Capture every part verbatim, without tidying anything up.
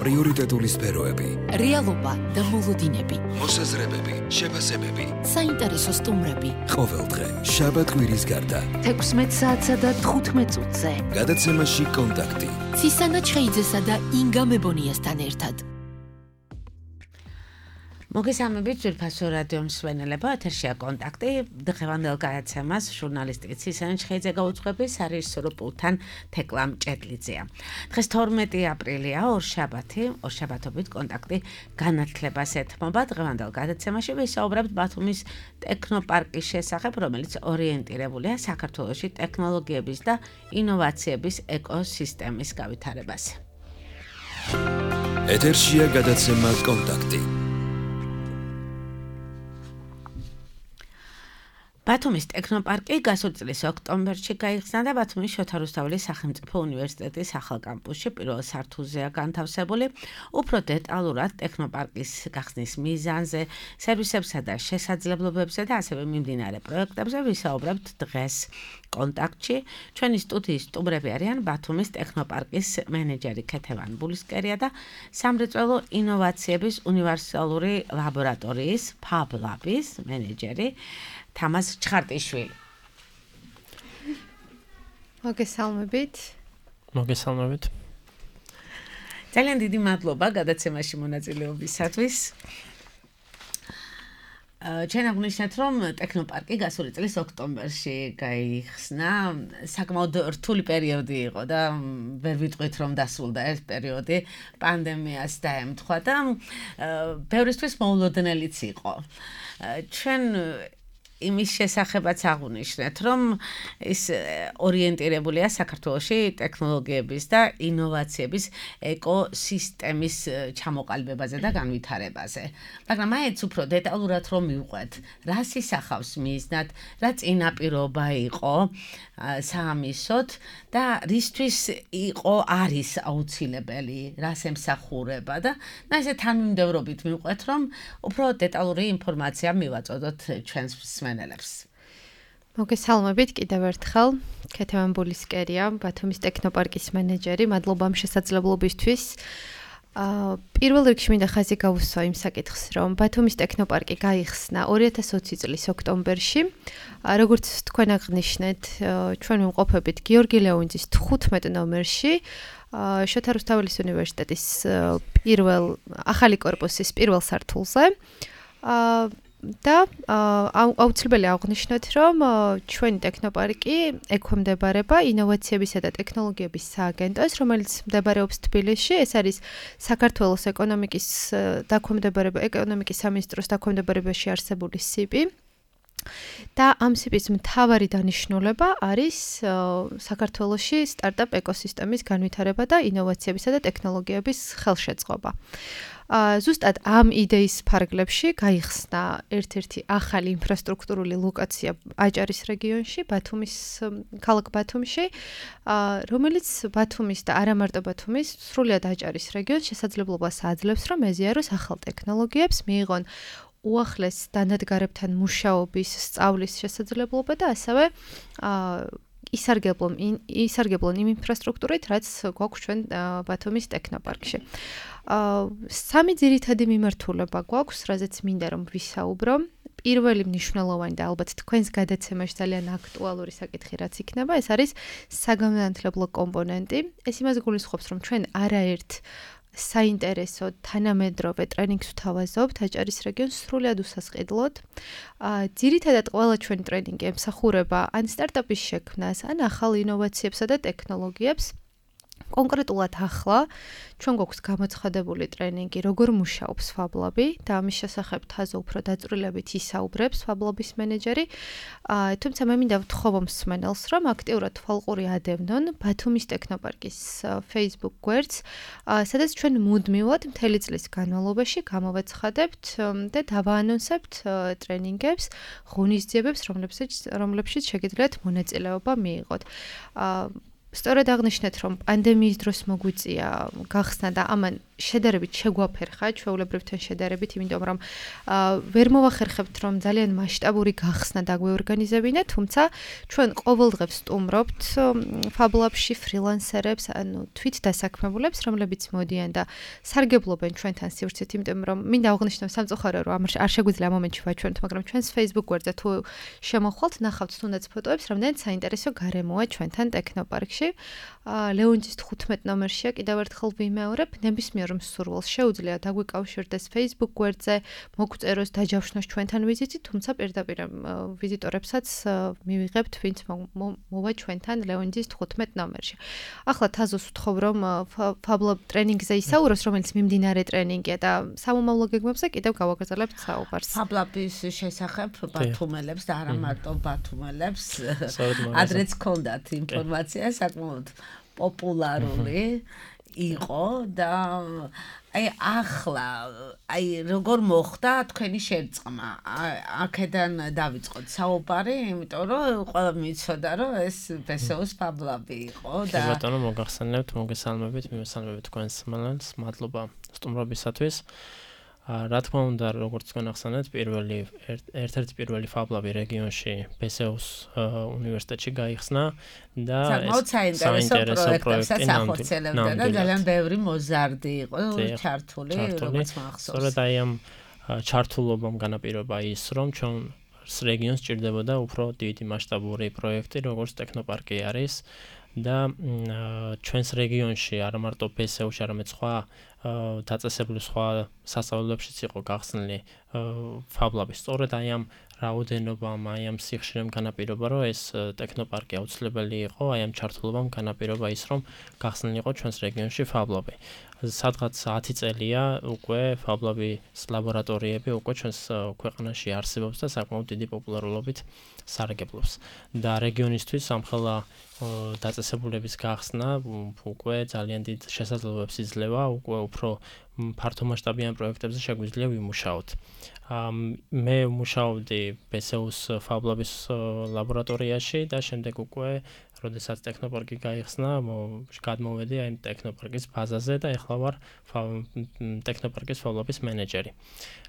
პრიორიტეტული სფეროები, რეალობა და მოლოდინები, მოსაზრებები, შეფასებები, საინტერესო სტუმრები. ყოველდღე შაბათ კვირის გარდა თექვსმეტ საათსა და თხუთმეტ წუთზე გადაცემაში კონტაქტი ცისანა ჩხეიძესა და ინგა მებონიასთან ერთად. მოგესალმებით ძვირფასო რადიო მსმენელებო, ეთერშია კონტაქტი. დღევანდელ გადაცემას ჟურნალისტი ცისანა ჩხეიძე გაუძღვების, სარეჟისორო პულტთან თეკლა მჭედლიძეა. დღეს თორმეტი აპრილია, ორშაბათი, ორშაბათობით კონტაქტი განათლებას ეთმობა. დღევანდელ გადაცემაში ვისაუბრებთ ბათუმის ტექნოპარკის შესახებ, რომელიც ორიენტირებულია საქართველოში ტექნოლოგიების და ინოვაციების ეკოსისტემის გავითარებაზე. ეთერშია გადაცემა კონტაქტი. ბათუმის ტექნოპარკი გასული წლის ოქტომბერში გაიხსნა და ბათუმის შოთა რუსთაველის სახელმწიფო უნივერსიტეტის ახალ კამპუსში პირველ სართულზეა განთავსებული. უფრო დეტალურად ტექნოპარკის გახსნის მიზანზე, სერვისებსა და შესაძლებლობებზე და ასევე მიმდინარე პროექტებზე ვისაუბრებთ დღეს კონტაქტში. ჩვენი სტუდიის სტუმრები არიან ბათუმის ტექნოპარკის მენეჯერი ქეთევან ბულისკერია და სამრეწველო ინოვაციების უნივერსალური ლაბორატორიის ფაბ ლაბის მენეჯერი თამაზ ჩხარტიშვილი. მოგესალმებით. მოგესალმებით. ძალიან დიდი მადლობა გადაცემაში მონაწილეობისათვის. ჩვენ აღნიშნეთ, რომ ტექნოპარკი გასული წლის ოქტომბერში გაიხსნა. საკმაოდ რთული პერიოდი იყო და ვერ ვიტყვით, რომ დასრულდა ეს პერიოდი, პანდემიას დაემთხვა და ბევრისთვის მოულოდნელიც იყო. ჩვენ იმის შესახებაც აღნიშნეთ, რომ ის ორიენტირებულია საქართველოში ტექნოლოგიების და ინოვაციების ეკოსისტემის ჩამოყალიბებაზე და განვითარებაზე. მაგრამ მაინც უფრო დეტალურად რომ მივყვეთ, რას ისახავს მიზნად, რა წინაპირობა იყო საამისოდ და რისთვის იყო არის აუცილებელი, რას ემსახურება და და ესე თანმიმდევრობით მივყვეთ, რომ უფრო დეტალური ინფორმაცია მივაწოდოთ ჩვენს მსმენელებს. მოგესალმებით კიდევ ერთხელ. ქეთევან ბულისკერია, ბათუმის ტექნოპარკის მენეჯერი. მადლობა ამ შესაძლებლობისთვის. აა პირველ რიგში მინდა ხაზი გავუსვა იმ საკითხს, რომ ბათუმის ტექნოპარკი გაიხსნა ორი ათას ოცი წლის ოქტომბერში. როგორც თქვენ აღნიშნეთ, ჩვენ ვიმყოფებით გიორგი ლეონიძის თხუთმეტ ნომერში. შოთა რუსთაველის უნივერსიტეტის პირველ ახალი კორპუსის პირველ სართულზე. აა და აუცილებელი აღვნიშნოთ, რომ ჩვენი ტექნოპარკი ექვემდებარება ინოვაციებისა და ტექნოლოგიების სააგენტოს, რომელიც მდებარეობს თბილისში. ეს არის საქართველოს ეკონომიკის დაქვემდებარება, ეკონომიკის სამინისტროს დაქვემდებარებაში არსებული სიპი. და ამ სიპის მთავარი დანიშნულება არის საქართველოში სტარტაპ ეკოსისტემის განვითარება და ინოვაციებისა და ტექნოლოგიების ხელშეწყობა. ზუსტად ამ იდეის ფარგლებში გაიხსნა ერთ-ერთი ახალი ინფრასტრუქტურული ლოკაცია აჭარის რეგიონში, ბათუმის ქალაქ ბათუმში, რომელიც ბათუმის და არა მარტო ბათუმის, სრულიად აჭარის რეგიონს შესაძლებლობას აძლევს, რომ ეზიაროს ახალ ტექნოლოგიებს, მიიღონ უახლეს დანადგარებთან მუშაობის, სწავლის შესაძლებლობა და ასევე ისარგებლონ ისარგებლონ იმ ინფრასტრუქტურით, რაც გვაქვს ჩვენ ბათუმის ტექნოპარკში. სამი ძირითადი მიმართულება გვაქვს, რაზეც მინდა რომ ვისაუბრო. პირველი მნიშვნელოვანი და ალბათ თქვენს გადაცემაში ძალიან აქტუალური საკითხი რაც იქნება, ეს არის საგანმანათლებლო კომპონენტი. ეს იმას გულისხმობს, რომ ჩვენ არაერთ საინტერესო თანამედროვე ტრენინგს ვთავაზობთ აჭარის რეგიონს სრულად უსასყიდლოდ. ძირითადად ყველა ჩვენი ტრენინგი ემსახურება ან სტარტაპის შექმნას, ან ახალ ინოვაციებსა და ტექნოლოგიებს. კონკრეტულად ახლა ჩვენ გვაქვს გამოცხადებული ტრენინგი, როგორ მუშაობს ფაბლაბი და ამის შესახებ თაზე უფრო დაწვრილებით ისაუბრებს ფაბლაბის მენეჯერი. თუმცა მე მინდა ვთხოვო მსმენელს, რომ აქტიურად თვალყური ადევნონ ბათუმის ტექნოპარკის Facebook გვერდს, სადაც ჩვენ მუდმივად მთელი წლის განმავლობაში გამოვაცხადებთ და დავაანონსებთ ტრენინგებს, ღონისძიებებს, რომლებშიც შეგიძლიათ მონაწილეობა მიიღოთ. სწორედ აღნიშნეთ, რომ პანდემიის დროს მოგვიწია გახსნა და ამან შედარებით შეგვაფერხა ჩვეულებრივთან შედარებით, იმიტომ რომ ვერ მოვახერხებთ რომ ძალიან მასშტაბური გახსნა დაგვეორგანიზებინა, თუმცა ჩვენ ყოველდღე ვსტუმრობთ Fab Lab-ში ფრილანსერებს, ანუ თვით დასაქმებულებს, რომლებიც მოდიან და სარგებლობენ ჩვენთან სივრცით, იმიტომ რომ მინდა აღვნიშნო სამწუხარო რომ არ შეგვიძლია ამ მომენტში ვაჩვენოთ, მაგრამ ჩვენს Facebook გვერდზე თუ შემოხვალთ, ნახავთ თუნდაც ფოტოებს, რამდენად საინტერესო გარემოა ჩვენთან ტექნოპარკში. ლეონჯის თხუთმეტ ნომერშია კიდევ ერთხელ ვიმეორებ, ნებისმიერ მსურველს შეუძლია დაგვიკავშირდეს Facebook გვერდზე, მოგწეროს დაჯავშნოს ჩვენთან ვიზიტი, თუმცა პირდაპირ ვიზიტორებსაც მივიღებთ, ვინც მოვა ჩვენთან ლეონჯის თხუთმეტ ნომერში. ახლა თაზოს ვთხოვ, რომ Fab Lab ტრენინგზე ისაუროს, რომელიც მიმდინარე ტრენინგია და სამომავლო გეგმებზე კიდევ გავაგრძელებთ საუბარს. Fab Lab-ის შესახებ ბათუმელებს და არა მარტო ბათუმელებს, ადრეც ქონდათ ინფორმაცია საკმაოდ პოპულარული იყო და აი ახლა აი როგორ მოხდა თქვენი შერწყმა? აქედან დავიწყოთ საუბარი, იმიტომ რომ ყველა მიცოდა რომ ეს ბესეოს Fab Lab-ი იყო და ბატონო მოგახსენებთ, მოგესალმებით, მიმესალმებით თქვენს მალანს, მადლობა სტუმრობისათვის. რა თქმა უნდა, როგორც თქვენ ახსენეთ, პირველი ერთ-ერთი პირველი Fab Lab-ი რეგიონში ბესეოს უნივერსიტეტში გაიხსნა და ეს საინტერესო პროექტი ახორციელებდა და ძალიან ბევრი მოზარდი იყო ჩართული, როგორც მახსოვს. სწორედ აი ამ ჩართულობამ განაპირობა ის, რომ ჩვენ რეგიონს ჭირდებოდა უფრო დიდი მასშტაბური პროექტი, როგორც ტექნოპარკი არის და ჩვენს რეგიონში არა მარტო ბესეოში, არამედ სხვა დაწესებული სხვა სასწავლებლებშიც იყო გახსნილი Fab Lab-ი. სწორედ აი ამ რაოდენობამ, აი ამ სიხშირემ განაპირობა, რომ ეს ტექნოპარკი აუცილებელი იყო, აი ამ ჩართულობამ განაპირობა ის, რომ გახსნილი იყო ჩვენს რეგიონში Fab Lab-ი. სადღაც ათი წელია უკვე Fab Lab-ის ლაბორატორიები უკვე ჩვენს ქვეყანაში არსებობს და საკმაოდ დიდი პოპულარობით სარგებლობს. და რეგიონისთვის ამხელა დაწესებულების გახსნა უკვე ძალიან დიდ შესაძლებლობებს იძლევა, უკვე უფრო ფართომასშტაბიან პროექტებზე შეგვიძლია ვიმუშაოთ. მე ვმუშაობდი ბესეოს Fab Lab-ის ლაბორატორიაში და შემდეგ უკვე როდესაც ტექნოპარკი გაიხსნა, გადმოვედი აი ტექნოპარკის ბაზაზე და ეხლა ვარ ტექნოპარკის Fab Lab-ის მენეჯერი.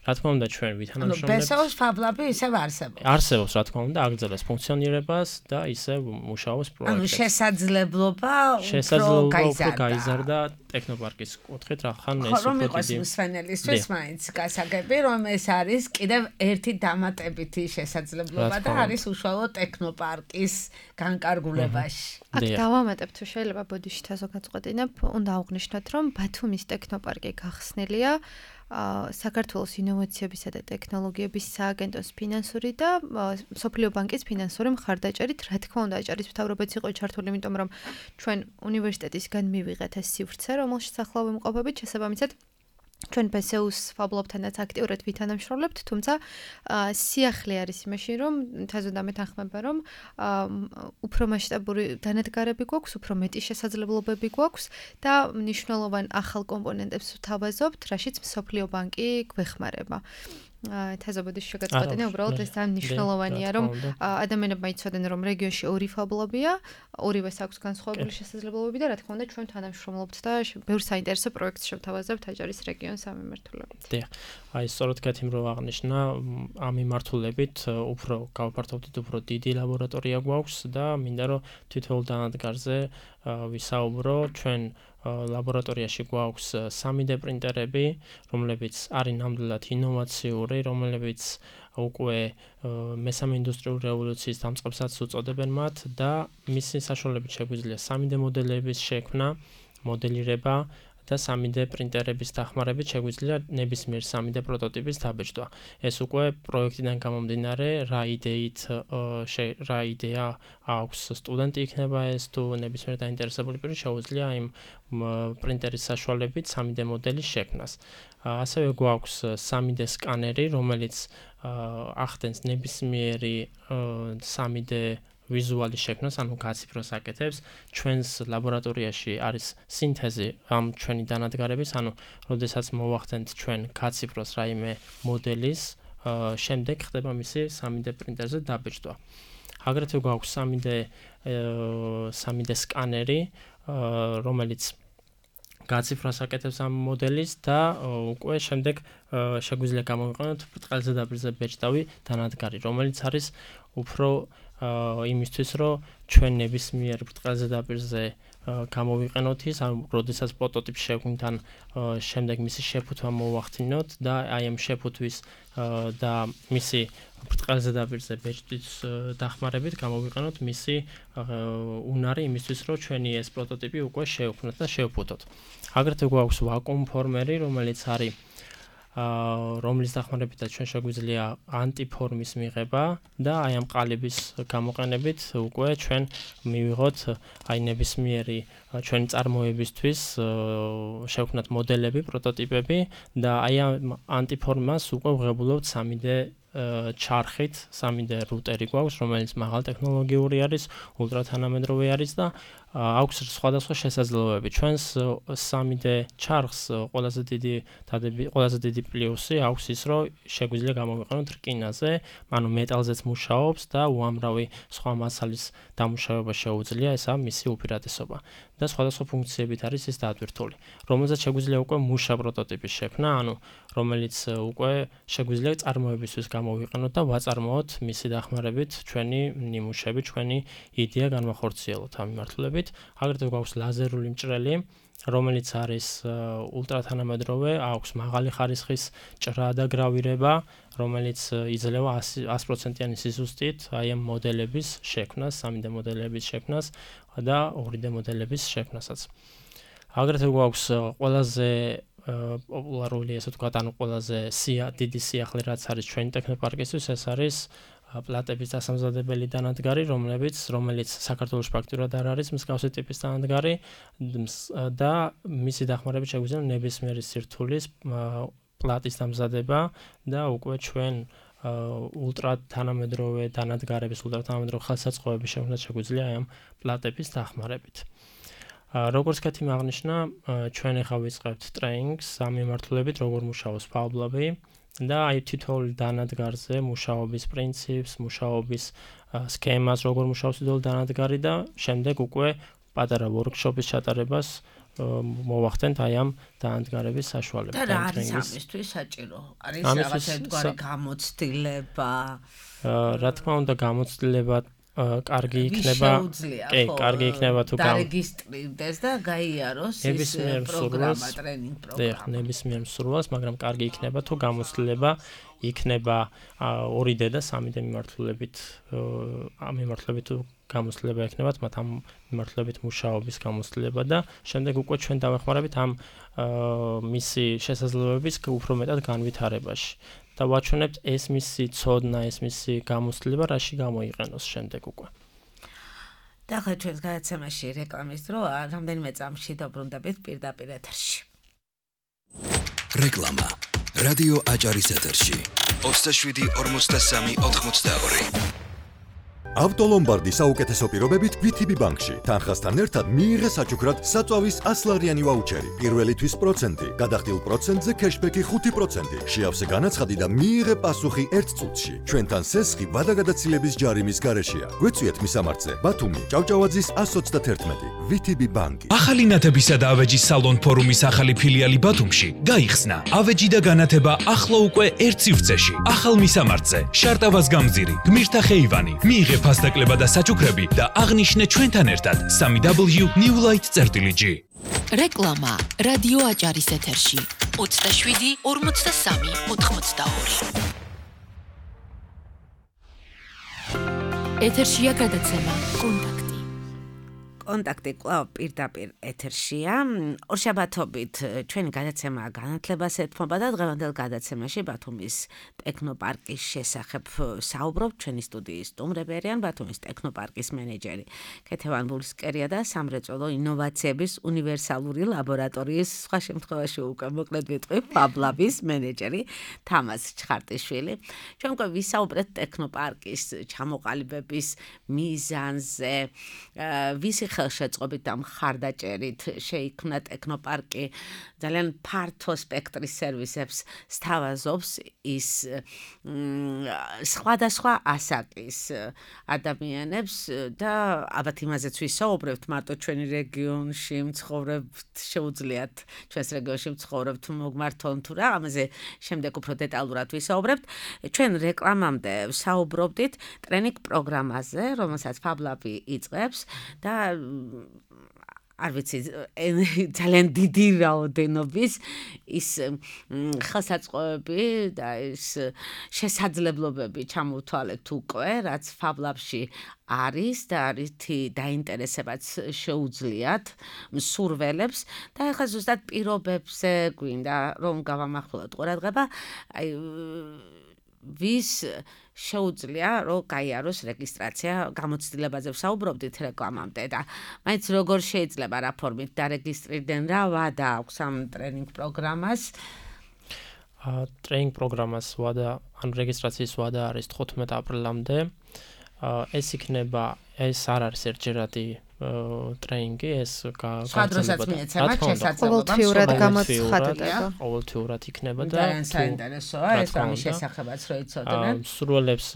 რა თქმა უნდა, ჩვენ ვითანამშრომლებთ. ანუ ბესეოს Fab Lab-ი ისევ არსებობს. არსებობს, რა თქმა უნდა, აგრძელებს ფუნქციონირებას და ისევ მუშაობს პროექტებზე. ანუ შესაძლებლობა უფრო გაიზარდა ტექნოპარკის კუთხით, რახან ეს უფრო დიდი. ხომ იყოს მსვენელისთვის მაინც გასაგები, რომ ეს არის კიდევ ერთი დამატებითი შესაძლებლობა და არის უშუალოდ ტექნოპარკის განკარგულებაში. აქ დავამატებ თუ შეიძლება ბოდიში თაზო გაწყვეტინებ, უნდა აღვნიშნოთ, რომ ბათუმის ტექნოპარკი გახსნილია საქართველოს ინოვაციებისა და ტექნოლოგიების სააგენტოს ფინანსური და მსოფლიო ბანკის ფინანსური მხარდაჭერით, რა თქმა უნდა, აჭარის მთავრობაც იყო ჩართული, იმიტომ რომ ჩვენ უნივერსიტეტისგან მივიღეთ ეს სივრცე, რომელშიც ახლა ვიმყოფებით, შესაბამისად ჩვენ ბესეოს Fab Lab-თანაც აქტიურად ვითანამშრომლებთ, თუმცა სიახლე არის იმაში, რომ თაზო დამეთანხმება, რომ უფრო მასშტაბური დანადგარები გვაქვს, უფრო მეტი შესაძლებლობები გვაქვს და მნიშვნელოვან ახალ კომპონენტებს ვთავაზობთ, რაშიც მსოფლიო ბანკი გვეხმარება. თაზობოდის შეგაწყვეტინა, უბრალოდ ეს ძალიან მნიშვნელოვანია, რომ ადამიანებმა იცოდნენ, რომ რეგიონში ორი Fab Lab-ია, ორივეს აქვს განსხვავებული შესაძლებლობები და რა თქმა უნდა, ჩვენ თანამშრომლობთ და ბევრ საინტერესო პროექტს შევთავაზებთ აჭარის რეგიონს ამ მიმართულებით. დიახ. აი, სწორედ კეთილ რო აღნიშნა, ამ მიმართულებით უფრო გავფართოვდით, უფრო დიდი ლაბორატორია გვაქვს და მინდა რომ თითოეულ დანადგარზე ვისაუბრო. ჩვენ ლაბორატორიაში გვაქვს სამი დე პრინტერები, რომლებიც არის ნამდვილად ინოვაციური, რომლებიც უკვე მესამე ინდუსტრიული რევოლუციის დამწყებსაც უწოდებენ მათ და მისი საშუალებით შეგვიძლია სამი დე მოდელების შექმნა, მოდელირება და სამი დე პრინტერების დახმარებით შეგვიძლია ნებისმიერ სამი დე პროტოტიპის დაბეჭდვა. ეს უკვე პროექტიდან გამომდინარე, რა იდეით, რა იდეა აქვს სტუდენტი იქნება ეს თუ ნებისმიერ დაინტერესებული პირი შეუძლია იმ პრინტერის საშუალებით სამი დე მოდელის შექმნას. ასევე გვაქვს სამი დე სკანერი, რომელიც ახდენს ნებისმიერი სამი დე ვიზუალის შექმნას, ანუ გაციფროს აკეთებს. ჩვენს ლაბორატორიაში არის სინთეზი ამ ჩვენი დანადგარების, ანუ როდესაც მოვახდენთ ჩვენ გაციფროს რაიმე მოდელის, შემდეგ ხდება მისი სამი დე პრინტერზე დაბეჭდვა. აგრეთვე გვაქვს სამი დე სკანერი, რომელიც გაციფრას აკეთებს ამ მოდელის და უკვე შემდეგ შეგვიძლია გამოვიყენოთ ბრტყელზე დაბირზე ბეჭდავი დანადგარი, რომელიც არის უფრო იმისთვის, რომ ჩვენ ნებისმიერ ბრტყელზე დაბირზე გამოვიყენოთ ის, ან როდესაც პროტოტიპს შევქმნით, ან შემდეგ მისი შეფუთვა მოვახდინოთ და აი ამ შეფუთვის და მისი ბრტყელზე დაბირზე ბეჭდის დახმარებით გამოვიყენოთ მისი უნარი იმისთვის, რომ ჩვენი ეს პროტოტიპი უკვე შევქმნათ და შევფუთოთ. აგრეთვე გვაქვს ვაკუუმ ფორმერი, რომელიც არის რომლის დახმარებითაც ჩვენ შეგვიძლია ანტიფორმის მიღება და აი ამ ყალიბის გამოყენებით უკვე ჩვენ მივიღოთ აი ნებისმიერი ჩვენი წარმოებისთვის შევქმნათ მოდელები, პროტოტიპები და აი ამ ანტიფორმას უკვე ვღებულობთ სამი დე ჩარხით, სამი დე რუტერი გვაქვს, რომელიც მაღალ ტექნოლოგიური არის, ულტრათანამედროვე არის და აქვს სხვადასხვა შესაძლებლობები. ჩვენს სამი დე ჩარხს ყველაზე დიდი დადები, ყველაზე დიდი პლუსი აქვს ის, რომ შეგვიძლია გამოვიყენოთ რკინაზე, ანუ მეტალზეც მუშაობს და უამრავი სხვა მასალის დამუშავება შეუძლია, ესაა მისი უპირატესობა. და სხვადასხვა ფუნქციებით არის ის დატვირთული, რომელზეც შეგვიძლია უკვე მუშა პროტოტიპის შექმნა, ანუ რომელიც უკვე შეგვიძლია წარმოებისთვის გამოვიყენოთ და ვაწარმოოთ მისი დახმარებით ჩვენი ნიმუშები, ჩვენი იდეა განვახორციელოთ ამ მიმართულებით. აგრეთვე გვაქვს ლაზერული მჭრელი, რომელიც არის ულტრათანამედროვე, აქვს მაღალი ხარისხის ჭრა და გრავირება, რომელიც იძლევა ას პროცენტიანი სიზუსტით აი ამ მოდელების შექმნას, სამი დე მოდელების შექმნას და ორი დე მოდელების შექმნასაც. აგრეთვე გვაქვს ყველაზე პოპულარული, ესე ვთქვათ, ანუ ყველაზე დიდი სიახლე, რაც არის ჩვენი ტექნოპარკისთვის, ეს არის პლატების დასამზადებელი დანადგარი, რომელიც რომელიც საქართველოს პრაქტიკულად არ არის მსგავსი ტიპის დანადგარი და მისი დახმარებით შეგვიძლია ნებისმიერი სირთულის პლატის დამზადება და უკვე ჩვენ ულტრათანამედროვე დანადგარების, ულტრათანამედროვე ხელსაწყოების შექმნა შეგვიძლია ამ პლატების დახმარებით. როგორც კეთილ აღნიშნა, ჩვენ ახლა ვიწყებთ ტრეინინგს ამ მიმართულებით, როგორ მუშაობს ფაუბლაბი და აი თითოეული დანადგარზე მუშაობის პრინციპს, მუშაობის სქემას, როგორ მუშაობს თითოეული დანადგარი და შემდეგ უკვე პატარა ვორქშოპის ჩატარებას მოვახდენთ აი ამ დანადგარების საშუალებით. და რა არის ამისთვის საჭირო? არის რაღაცა ერთგვარი გამოცდილება? რა თქმა უნდა, გამოცდილება კარგი იქნება, კი, კარგი იქნება თუ დარეგისტრირდეს და გაიაროს ის პროგრამა, ტრენინგ პროგრამა. დიახ, ნებისმიერ მსურველს, მაგრამ კარგი იქნება თუ გამოცდილება იქნება ორი დე და სამი დე მიმართულებით, ამ მიმართულებით თუ გამოცდილება იქნებათ, მათ ამ მიმართულებით მუშაობის გამოცდილება და შემდეგ უკვე ჩვენ დავეხმარებით ამ მისი შესაძლებლობების უფრო მეტად განვითარებაში. და ვაჩვენებთ ეს მისი ცოდნა, ეს მისი გამოცდილება რაში გამოიყენოს შემდეგ უკვე. და ახლა ჩვენს გადაცემაში რეკლამის დრო, რამდენიმე წამში დაბრუნდებით პირდაპირ ეთერში. რეკლამა. რადიო აჭარის ეთერში. ოცდაშვიდი ორმოცდასამი ოთხმოცდაორი. ავტოლომბარდის საუკეთესო პირობებით ვი თი ბი ბანკში. თანხასთან ერთად მიიღე საჩუქრად საწვავის ასლარიანი ვაუჩერი. პირველი თვის პროცენტი, გადახდილ პროცენტზე ქეშბექი ხუთი პროცენტი. შეავსე განაცხადი და მიიღე პასუხი ერთ წუთში. ჩვენთან სესხი ვადაგადაცილების ჯარიმის გარეშეა. გვეწვიეთ მისამართზე. ბათუმი, ჭავჭავაძის ას ოცდაათერთმეტი. ვი თი ბი ბანკი. ახალი ნათებისა და ავეჯის სალონ ფორუმის ახალი ფილიალი ბათუმში გაიხსნა. ავეჯი და განათება ახლა უკვე ერთ სივრცეში. ახალ მისამართზე. შარტავას გამზირი, გმირთა ხეივანი. მიიღე ფასდაკლება და საჩუქრები და აღნიშნე ჩვენთან ერთად სამი დაბლიუ ნიუ ლაით წერტილი ჯი. რეკლამა რადიო აჭარის ეთერში ოცდაშვიდი ორმოცდასამი ოთხმოცდაორი. ეთერშია გადაცემა კონტაქტი. კონტაქტი კვლავ პირდაპირ ეთერშია. ორშაბათობით ჩვენი გადაცემა განათლებას ეთმობა და დღევანდელ გადაცემაში ბათუმის ტექნოპარკის შესახებ საუბრობთ. ჩვენი სტუდიის სტუმრები არიან ბათუმის ტექნოპარკის მენეჯერი ქეთევან ბულისკერია და სამრეწველო ინოვაციების უნივერსალური ლაბორატორიის, სხვა შემთხვევაში უკვე მოკლედ ვიტყვი, ფაბლაბის მენეჯერი თამაზ ჩხარტიშვილი. ჩვენ უკვე ვისაუბრეთ ტექნოპარკის ჩამოყალიბების მიზანზე, ვისი ხელშეწყობით და მხარდაჭერით შეიქმნა ტექნოპარკი ძალიან ფართო სპექტრის სერვისებს სთავაზობს ის სხვადასხვა ასაკის ადამიანებს და ალბათ იმაზეც ვისაუბრებთ მარტო ჩვენი რეგიონში მცხოვრებთ შეუძლიათ ჩვენს რეგიონში მცხოვრებთ მოგმართონ თუ რა ამაზე შემდეგ უფრო დეტალურად ვისაუბრებთ ჩვენ რეკლამამდე საუბრობდით ტრენინგ პროგრამაზე რომელსაც ფაბლაბი იწყებს და არ ვიცი ძალიან დიდი რაოდენობის ის ხელსაწყოები და ის შესაძლებლობები ჩამოვთვალეთ უკვე რაც ფაბლაბში არის და რითი დაინტერესებაც შეუძლიათ მსურველებს და ეხლა ზუსტად პირობებზე გვინდა რომ გავამახვილოთ ყურადღება აი ვის შეუძლია რომ გაიაროს რეგისტრაცია გამოცდილებაზე ვსაუბრობდით რეკლამამდე და მაინც როგორ შეიძლება რა ფორმით დარეგისტრირდნენ რა ვადა აქვს ამ ტრენინგ პროგრამას ა ტრენინგ პროგრამას ვადა ან რეგისტრაციის ვადა არის თხუთმეტ აპრილამდე ეს იქნება ეს არ არის ერთჯერადი ტრენინგი ეს გაგრძელება ყოველთვიურად გამოცხადდება ყოველთვიურად იქნება და ძალიან საინტერესოა ეს ამის შესახებაც რო იცოდნენ მსურველებს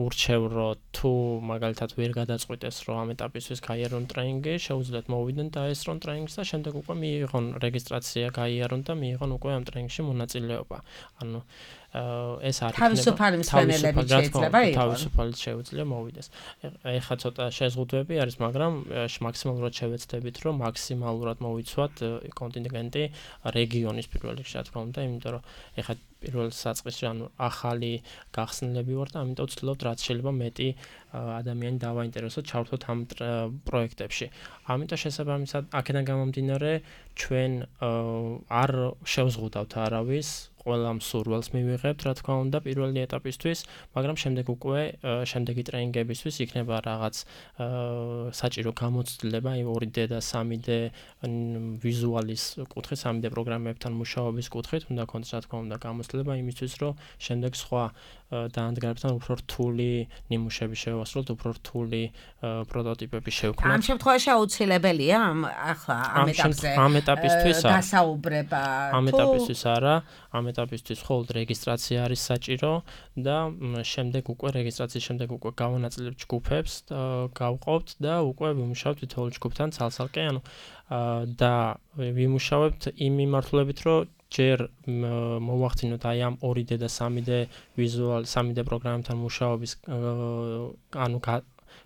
ურჩევ რომ თუ მაგალითად ვერ გადაწყვიტეს რომ ამ ეტაპისთვის გაიარონ ტრენინგი შეუძლიათ მოვიდნენ და ესრონ ტრენინგს და შემდეგ უკვე მიიღონ რეგისტრაცია გაიარონ და მიიღონ უკვე ამ ტრენინგში მონაწილეობა ანუ ეს არის თავისუფალი მსმენელები შეიძლება იყოს თავისუფალი შეუძლია მოვიდეს ეხლა ცოტა შეზღუდვები არის მაგრამ მაქსიმალურად შევეცდებით რომ მაქსიმალურად მოვიცვათ კონტინგენტი რეგიონის პირველ რიგში რა თქმა უნდა იმიტომ რომ ეხლა პირველ საწყისში ანუ ახალი გახსნილები ვარ და ამიტომ ვცდილობთ რაც შეიძლება მეტი ადამიანი დავაინტერესოთ ჩავთვალოთ ამ პროექტებში ამიტომ შესაბამისად აქედან გამომდინარე ჩვენ არ შევზღუდავთ არავის ყველა მსურველს მივიღებთ რა თქმა უნდა პირველი ეტაპისთვის მაგრამ შემდეგ უკვე შემდეგი ტრენინგებისთვის იქნება რაღაც საჭირო გამოცდილება ორი დე და სამი დე ვიზუალის კუთხით სამი დე პროგრამებთან მუშაობის კუთხით უნდა კონდეს რა თქმა უნდა გამოცდილება იმისთვის რომ შემდეგ სხვა დაანადგარებთან უფრო რთული ნიმუშები შევასრულოთ უფრო რთული პროტოტიპები შევქმნათ ამ შემთხვევაში აუცილებელია ახლა ამ ეტაპზე ამ ეტაპისთვის გასაუბრება ამ ეტაპისთვის არა ამ ეტაპისთვის მხოლოდ რეგისტრაცია არის საჭირო და შემდეგ უკვე რეგისტრაციის შემდეგ უკვე გავანაწილებთ ჯგუფებს გავყავთ და უკვე ვიმუშავებთ თითოეულ ჯგუფთან ცალ-ცალკე ანუ და ვიმუშავებთ იმ მიმართულებით რომ ჯერ მოვახდინოთ აი ამ ორი დე და სამი დე ვიზუალ სამი დე პროგრამებთან მუშაობის ანუ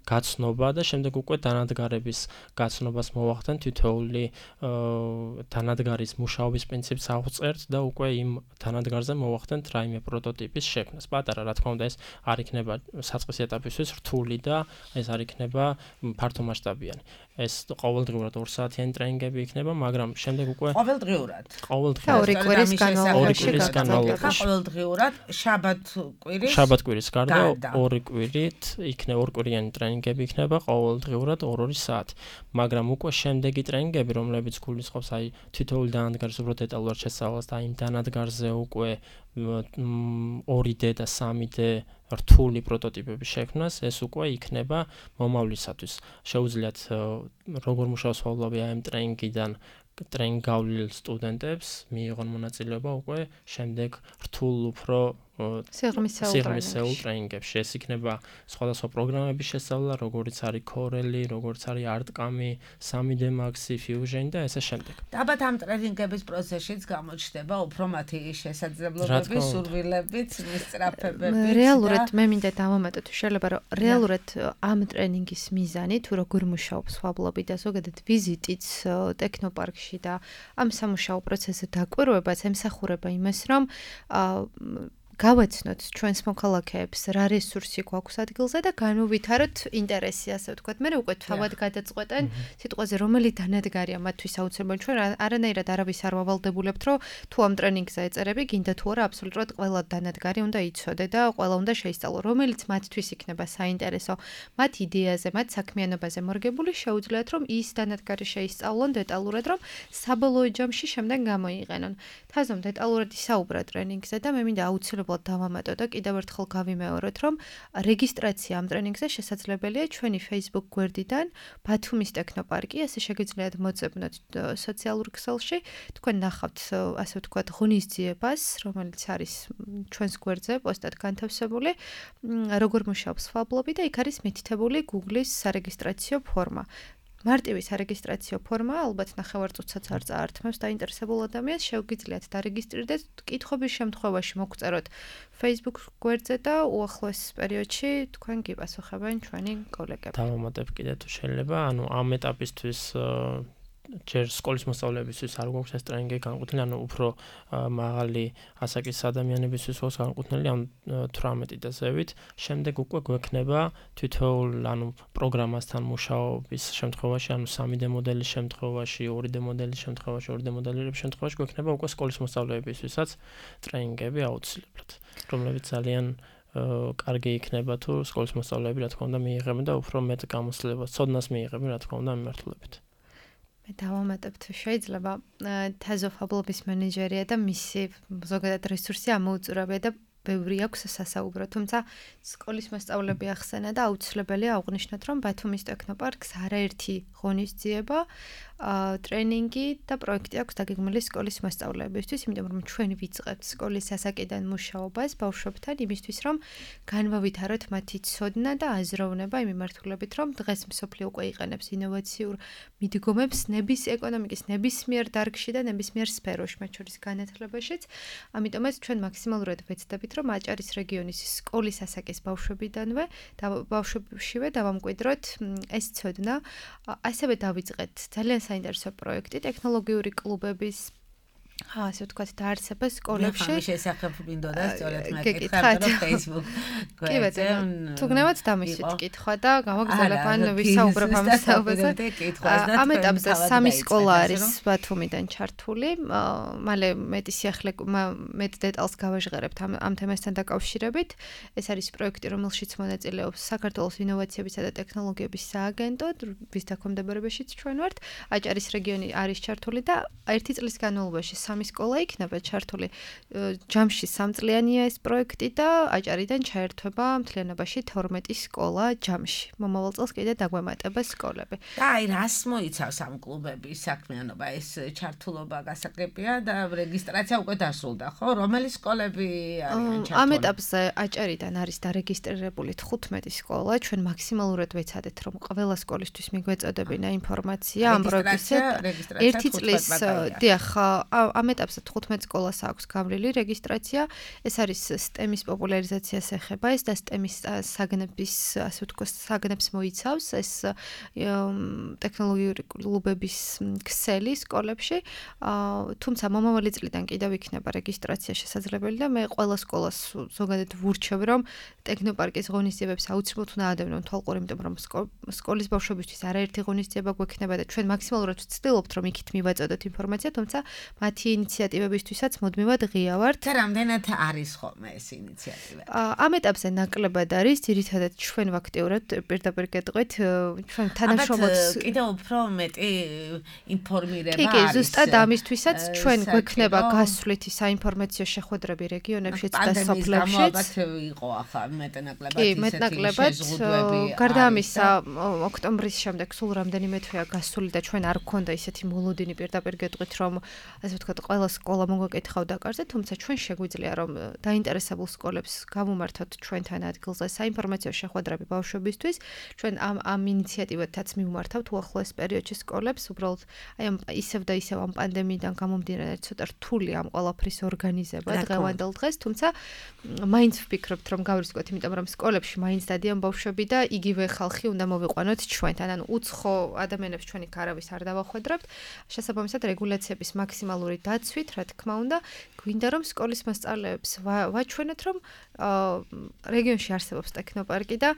გაცნობა და შემდეგ უკვე დანადგარების გაცნობას მოვახდენ თითოეული დანადგარის მუშაობის პრინციპს ავწერთ და უკვე იმ დანადგარზე მოვახდენთ რაიმე პროტოტიპის შექმნას. პატარა რა თქმა უნდა ეს არ იქნება საწყის ეტაპისთვის რთული და ეს არ იქნება ფართომასშტაბიანი. ეს ყოველდღიურად ორ საათიანი ტრენინგები იქნება, მაგრამ შემდეგ უკვე ყოველდღიურად. ყოველდღიურად ორი კვირის განმავლობაში ყოველდღიურად შაბათ-კვირის შაბათ-კვირის გარდა ორი კვირით იქნება ორ კვირიანი ტრენინგები იქნება ყოველდღიურად ორ-ორი საათი. მაგრამ უკვე შემდეგი ტრენინგები, რომლებიც გულისხმობს აი თითოეული დანადგარის უფრო დეტალურად შესწავლას და იმ დანადგარზე უკვე ორი დე და სამი დე რთული პროტოტიპების შექმნას, ეს უკვე იქნება მომავლისათვის. შეუძლიათ როგორ მუშაობს ფაბლაბი ამ ტრენინგიდან ტრენინგ გავლილ სტუდენტებს მიიღონ მონაწილეობა უკვე შემდეგ რთულ უფრო სიღრმისეულ ტრენინგებში. ეს იქნება სხვადასხვა პროგრამების შესწავლა, როგორიც არის Corel, როგორც არის ArtCam, სამი დე Max, Fusion და ესე შემდეგ. ალბათ ამ ტრენინგების პროცესშიც გამოჩნდება უფრო მათი შესაძლებლობები, სურვილებიც, მისწრაფებებიც. რეალურად მე მინდა დავამატოთ, შეიძლება რომ რეალურად ამ ტრენინგის მიზანი თუ როგორ მუშაობს ფაბლაბი და ზოგადად ვიზიტიც ტექნოპარკში და ამ სამუშაო პროცესზე დაკვირვებაც ემსახურება იმას, რომ გავაცნოთ ჩვენს მოქალაქეებს რა რესურსი გვაქვს ადგილზე და განუვითაროთ ინტერესი, ასე ვთქვათ. მე უკვე თავად გადაწყვეტენ სიტყვაზე რომელი დანადგარია მათთვის აუცილებელი. ჩვენ არანაირად არავის არ ვავალდებულებთ, რომ თუ ამ ტრენინგზე ეწერები, გინდა თუ არა, აბსოლუტურად ყველა დანადგარი უნდა იცოდე და ყველა უნდა შეისწავლო, რომელიც მათთვის იქნება საინტერესო, მათ იდეაზე, მათ საქმიანობაზე მორგებული, შეუძლიათ რომ ის დანადგარი შეისწავლონ დეტალურად, რომ საბოლოო ჯამში შემდეგ გამოიყენონ. თაზომ დეტალურად ისაუბრა ტრენინგზე და მე მინდა აუცილებლად აუცილებლად დავამატო და კიდევ ერთხელ გავიმეოროთ, რომ რეგისტრაცია ამ ტრენინგზე შესაძლებელია ჩვენი Facebook გვერდიდან ბათუმის ტექნოპარკი, ასე შეგიძლიათ მოწებნოთ სოციალურ ქსელში, თქვენ ნახავთ, ასე ვთქვათ, ღონისძიებას, რომელიც არის ჩვენს გვერდზე პოსტად განთავსებული, როგორ მუშაობს ფაბლობი და იქ არის მითითებული Google-ის სარეგისტრაციო ფორმა. მარტივი სარეგისტრაციო ფორმა, ალბათ ნახევარწუთსაც არ წაართმევს დაინტერესებულ ადამიანს, შევგიძლიათ დარეგისტრირდეთ, კითხვების შემთხვევაში მოგწეროთ Facebook გვერდზე და უახლოეს პერიოდში თქვენ გიპასუხებენ ჩვენი კოლეგები. დავამატებ კიდე თუ შეიძლება, ანუ ამ ეტაპისთვის ჯერ სკოლის მოსწავლეებისთვის არ გვაქვს ეს ტრენინგი განკუთვნილი, ანუ უფრო მაღალი ასაკის ადამიანებისთვის გვაქვს განკუთვნილი, ანუ თვრამეტი და ზევით. შემდეგ უკვე გვექნება თითოეულ, ანუ პროგრამასთან მუშაობის შემთხვევაში, ანუ სამი დე მოდელის შემთხვევაში, ორი დე მოდელის შემთხვევაში, ორი დე მოდელების შემთხვევაში გვექნება უკვე სკოლის მოსწავლეებისთვისაც ტრენინგები აუცილებლად, რომლებიც ძალიან კარგი იქნება თუ სკოლის მოსწავლეები რა თქმა უნდა მიიღებენ და უფრო მეტ გამოცდილებას, ცოდნას მიიღებენ რა თქმა უნდა მიმართულებით. მე დავამატებ თუ შეიძლება თაზო ფაბლობის მენეჯერია და მისი ზოგადად რესურსი ამოუწურავია და ბევრი აქვს სასაუბრო, თუმცა სკოლის მოსწავლეები ახსენა და აუცილებელია აღვნიშნოთ, რომ ბათუმის ტექნოპარკს არაერთი ღონისძიება, ტრენინგი და პროექტი აქვს დაგეგმილი სკოლის მოსწავლეებისთვის, იმიტომ რომ ჩვენ ვიწყებთ სკოლის ასაკიდან მუშაობას ბავშვებთან იმისთვის, რომ განვავითაროთ მათი ცოდნა და აზროვნება იმ მიმართულებით, რომ დღეს მსოფლიო უკვე იყენებს ინოვაციურ მიდგომებს ნების ეკონომიკის ნებისმიერ დარგში და ნებისმიერ სფეროში, მათ შორის განათლებაშიც. ამიტომაც ჩვენ მაქსიმალურად ვეცდებით, რომ აჭარის რეგიონის სკოლის ასაკის ბავშვებიდანვე და ბავშვებშივე დავამკვიდროთ ეს ცოდნა. ასევე დავიწყეთ ძალიან საინტერესო პროექტი ტექნოლოგიური კლუბების ასე ვთქვათ დაარსება სკოლებში. მე შესახებ მინდოდა სწორედ მეკითხავთ რომ Facebook გვერდზე. თუ გნებათ დამისვით კითხვა და გამოგზავნებ ან ვისაუბრებ ამ საუბარზე. ამ ეტაპზე სამი სკოლა არის ბათუმიდან ჩართული. მალე მეტი სიახლე მეტ დეტალს გავაჟღერებთ ამ ამ თემასთან დაკავშირებით. ეს არის პროექტი, რომელშიც მონაწილეობს საქართველოს ინოვაციებისა და ტექნოლოგიების სააგენტო, ვის დაქვემდებარებაშიც ჩვენ ვართ. აჭარის რეგიონი არის ჩართული და ერთი წლის განმავლობაში სამი სკოლა იქნება ჩართული. ჯამში სამწლიანია ეს პროექტი და აჭარიდან ჩაერთვება მთლიანობაში თორმეტი სკოლა ჯამში. მომავალ წელს კიდე დაგვემატება სკოლები. და აი რას მოიცავს ამ კლუბების საქმიანობა? ეს ჩართულობა გასაგებია და რეგისტრაცია უკვე დასრულდა, ხო? რომელი სკოლები არიან ჩართული? ამ ეტაპზე აჭარიდან არის დარეგისტრირებული თხუთმეტი სკოლა. ჩვენ მაქსიმალურად ვეცადეთ, რომ ყველა სკოლისთვის მიგვეწოდებინა ინფორმაცია ამ პროექტზე. ერთი წლის დიახ, ამ ეტაპზე თხუთმეტ სკოლას აქვს გამრილი რეგისტრაცია. ეს არის STEM-ის პოპულარიზაციას ეხება, ეს და STEM-ის საგნების, ასე ვთქვათ, საგნებს მოიცავს ეს ტექნოლოგიური კლუბების ქსელი სკოლებში. თუმცა მომავალი წლიდან კიდევ იქნება რეგისტრაცია შესაძლებელი და მე ყველა სკოლას ზოგადად ვურჩევ, რომ ტექნოპარკის ღონისძიებებს აუცილებლად უნდა ადევნონ თვალყური, იმიტომ რომ სკოლის ბავშვებისთვის არაერთი ღონისძიება გვექნება და ჩვენ მაქსიმალურად ვცდილობთ, რომ იქით მივაწოდოთ ინფორმაცია, თუმცა მათი ინიციატივებისთვისაც მუდმივად ღია ვართ. და რამდენად არის ხოლმე ეს ინიციატივა? ამ ეტაპზე ნაკლებად არის, ძირითადად ჩვენ ვაქტიურად პირდაპირ გეტყვით, ჩვენ თანამშრომლობთ. კიდევ უფრო მეტი ინფორმირება არის. კი, კი, ზუსტად ამისთვისაც ჩვენ გვექნება გასვლითი საინფორმაციო შეხვედრები რეგიონებშიც და სოფლებშიც. ალბათ იყო ახლა მეტნაკლებად ისეთი შეზღუდვები. გარდა ამისა, ოქტომბრის შემდეგ სულ რამდენიმე თვეა გასული და ჩვენ არ გქონდა ისეთი მოლოდინი პირდაპირ გეტყვით, რომ ასე ვთქვათ, ყველა სკოლა მოგვეკითხავდა კარზე, თუმცა ჩვენ შეგვიძლია რომ დაინტერესებულ სკოლებს გავუმართოთ ჩვენთან ადგილზე საინფორმაციო შეხვედრები ბავშვებისთვის. ჩვენ ამ ამ ინიციატივათაც მივმართავთ უახლოეს პერიოდში სკოლებს, უბრალოდ აი ამ ისევ და ისევ ამ პანდემიიდან გამომდინარე ცოტა რთული ამ ყველაფრის ორგანიზება დღევანდელ დღეს, თუმცა მაინც ვფიქრობთ რომ გავრისკოთ, იმიტომ რომ სკოლებში მაინც დადიან ბავშვები და იგივე ხალხი უნდა მოვიყვანოთ ჩვენთან, ანუ უცხო ადამიანებს ჩვენ იქ არავის არ დავახვედრებთ. შესაბამისად რეგულაციების მაქსიმალური დაცვით, რა თქმა უნდა, გვინდა რომ სკოლის მოსწავლეებს ვაჩვენოთ, რომ რეგიონში არსებობს ტექნოპარკი და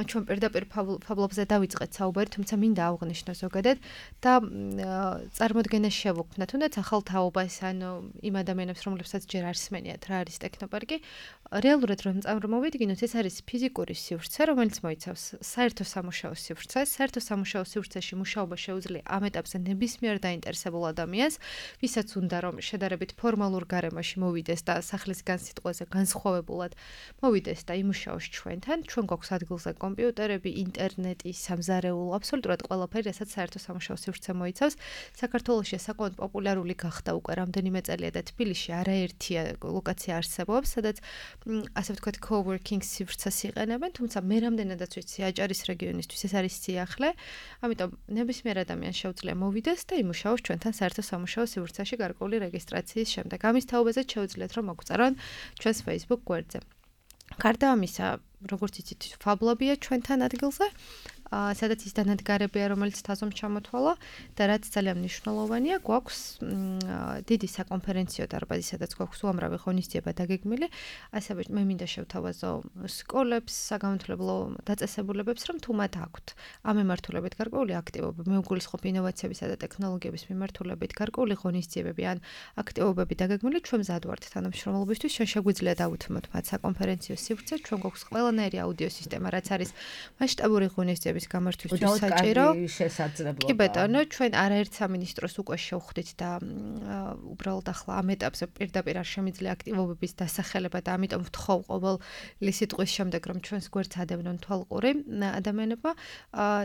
ჩვენ პირდაპირ ფაბლობზე დავიწყეთ საუბარი, თუმცა მინდა აღვნიშნო ზოგადად და წარმოდგენა შევუქმნა, თუნდაც ახალ თაობას, ანუ იმ ადამიანებს, რომლებსაც ჯერ არ სმენიათ რა არის ტექნოპარკი, რეალურად რომ წარმოვიდგინოთ, ეს არის ფიზიკური სივრცე, რომელიც მოიცავს საერთო სამუშაო სივრცეს. საერთო სამუშაო სივრცეში მუშაობა შეუძლია ამ ეტაპზე ნებისმიერ დაინტერესებულ ადამიანს, ვისაც უნდა რომ შედარებით ფორმალურ გარემოში გარემოში მოვიდეს და სახლის განსიტყვაზე განსხვავებულად მოვიდეს და იმუშაოს ჩვენთან, ჩვენ გვაქვს ადგილზე კომპიუტერები, ინტერნეტი, სამზარეულო, აბსოლუტურად ყველაფერი, რასაც საერთო სამუშაო სივრცე მოიცავს. საქართველოში საკმაოდ პოპულარული გახდა უკვე რამდენიმე წელია და თბილისში არაერთი ლოკაცია არსებობს, სადაც ასე ვთქვათ coworking სივრცეს იყენებენ, თუმცა მე რამდენადაც ვიცი აჭარის რეგიონისთვის ეს არის სიახლე, ამიტომ ნებისმიერ ადამიანს შეუძლია მოვიდეს და იმუშაოს ჩვენთან საერთო სამუშაო სივრცეში გარკვეული რეგისტრაციის შემდეგ. ამის თაობაზე შეუძლიათ რომ მოგვწერონ ჩვენს Facebook გვერდზე. გარდა ამისა, როგორც იცით, ფაბლაბია ჩვენთან ადგილზე, სადაც ის დანადგარებია, რომელიც თაზომ ჩამოთვალა და რაც ძალიან მნიშვნელოვანია, გვაქვს დიდი საკონფერენციო დარბაზი, სადაც გვაქვს უამრავი ღონისძიება დაგეგმილი. ასევე მე მინდა შევთავაზო სკოლებს, საგანმანათლებლო დაწესებულებებს, რომ თუ მათ აქვთ ამ მიმართულებით გარკვეული აქტივობები, მე ვგულისხმობ ინოვაციებისა და ტექნოლოგიების მიმართულებით გარკვეული ღონისძიებები ან აქტივობები დაგეგმილი, ჩვენ მზად ვართ თანამშრომლობისთვის, ჩვენ შეგვიძლია დავუთმოთ მათ საკონფერენციო სივრცე, ჩვენ გვაქვს ყველანაირი აუდიო სისტემა, რაც არის მასშტაბური ღონისძიების გამართვისთვის საჭირო. კი ბატონო, ჩვენ არაერთ სამინისტროს უკვე შევხვდით და უბრალოდ ახლა ამ ეტაპზე პირდაპირ არ შემიძლია აქტივობების დასახელება და ამიტომ ვთხოვ ყოველი სიტყვის შემდეგ რომ ჩვენს გვერდს ადევნონ თვალყური ადამიანებმა,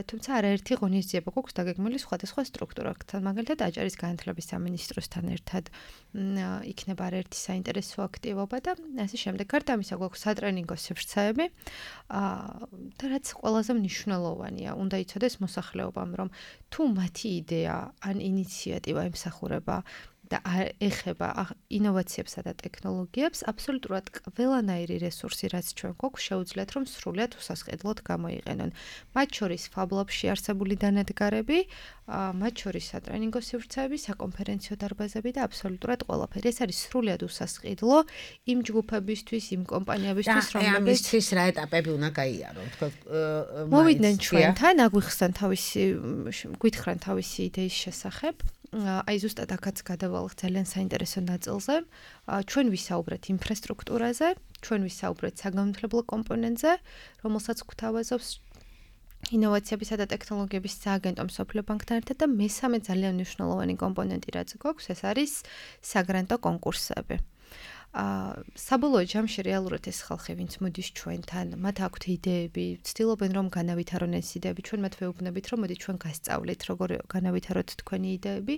თუმცა არაერთი ღონისძიება გვაქვს დაგეგმილი სხვადასხვა სტრუქტურებთან, მაგალითად აჭარის განათლების სამინისტროსთან ერთად იქნება არაერთი საინტერესო აქტივობა და ასე შემდეგ. გარდა ამისა გვაქვს სატრენინგო სივრცეები და რაც ყველაზე მნიშვნელოვანია, უნდა იცოდეს მოსახლეობამ, რომ თუ მათი იდეა ან ინიციატივა ემსახურება და ეხება ინოვაციებსა და ტექნოლოგიებს, აბსოლუტურად ყველანაირი რესურსი, რაც ჩვენ გვაქვს, შეუძლიათ რომ სრულად უსასყიდლოდ გამოიყენონ. მათ შორის ფაბლაბში არსებული დანადგარები, მათ შორის სატრენინგო სივრცეები, საკონფერენციო დარბაზები და აბსოლუტურად ყველაფერი. ეს არის სრულად usasqidlo იმ ჯგუფებისთვის, იმ კომპანიებისთვის, რომლებიც ამისთვის რა ეტაპები უნდა გაიარონ, თქო, მოვიდნენ ჩვენთან, აგვიხსნან თავისი, გვითხრან თავისი იდეის შესახებ. აი ზუსტად აქაც გადავალთ ძალიან საინტერესო ნაწილზე. ჩვენ ვისაუბრეთ ინფრასტრუქტურაზე, ჩვენ ვისაუბრეთ საგანმანათლებლო კომპონენტზე, რომელსაც გვთავაზობს ინოვაციებისა და ტექნოლოგიების სააგენტო მსოფლიო ბანკთან ერთად და მესამე ძალიან მნიშვნელოვანი კომპონენტი რაც გვაქვს, ეს არის საგრანტო კონკურსები. საბოლოო ჯამში რეალურად ეს ხალხი, ვინც მოდის ჩვენთან, მათ აქვთ იდეები, ცდილობენ რომ განავითარონ ეს იდეები, ჩვენ მათ ვეუბნებით, რომ მოდი ჩვენ გასწავლით, როგორ განავითაროთ თქვენი იდეები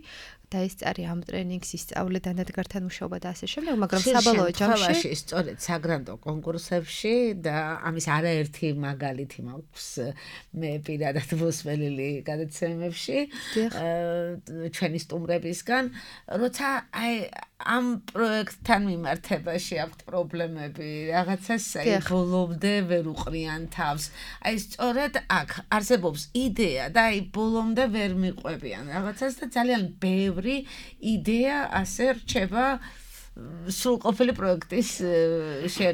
და ეს წარი ამ ტრენინგს ისწავლე დანადგართან მუშაობა და ასე შემდეგ, მაგრამ საბოლოო ჯამში სწორედ საგრანტო კონკურსებში და ამის არაერთი მაგალითი მაქვს მე პირადად მოსმენილი გადაცემებში ჩვენი სტუმრებისგან, როცა აი ამ პროექტთან მიმართებაში აქვთ პრობლემები, რაღაცას აი ბოლომდე ვერ უყრიან თავს. აი სწორედ აქ არსებობს იდეა და აი ბოლომდე ვერ მიყვებიან რაღაცას და ძალიან ბევრი იდეა ასე რჩება სრულყოფილი პროექტის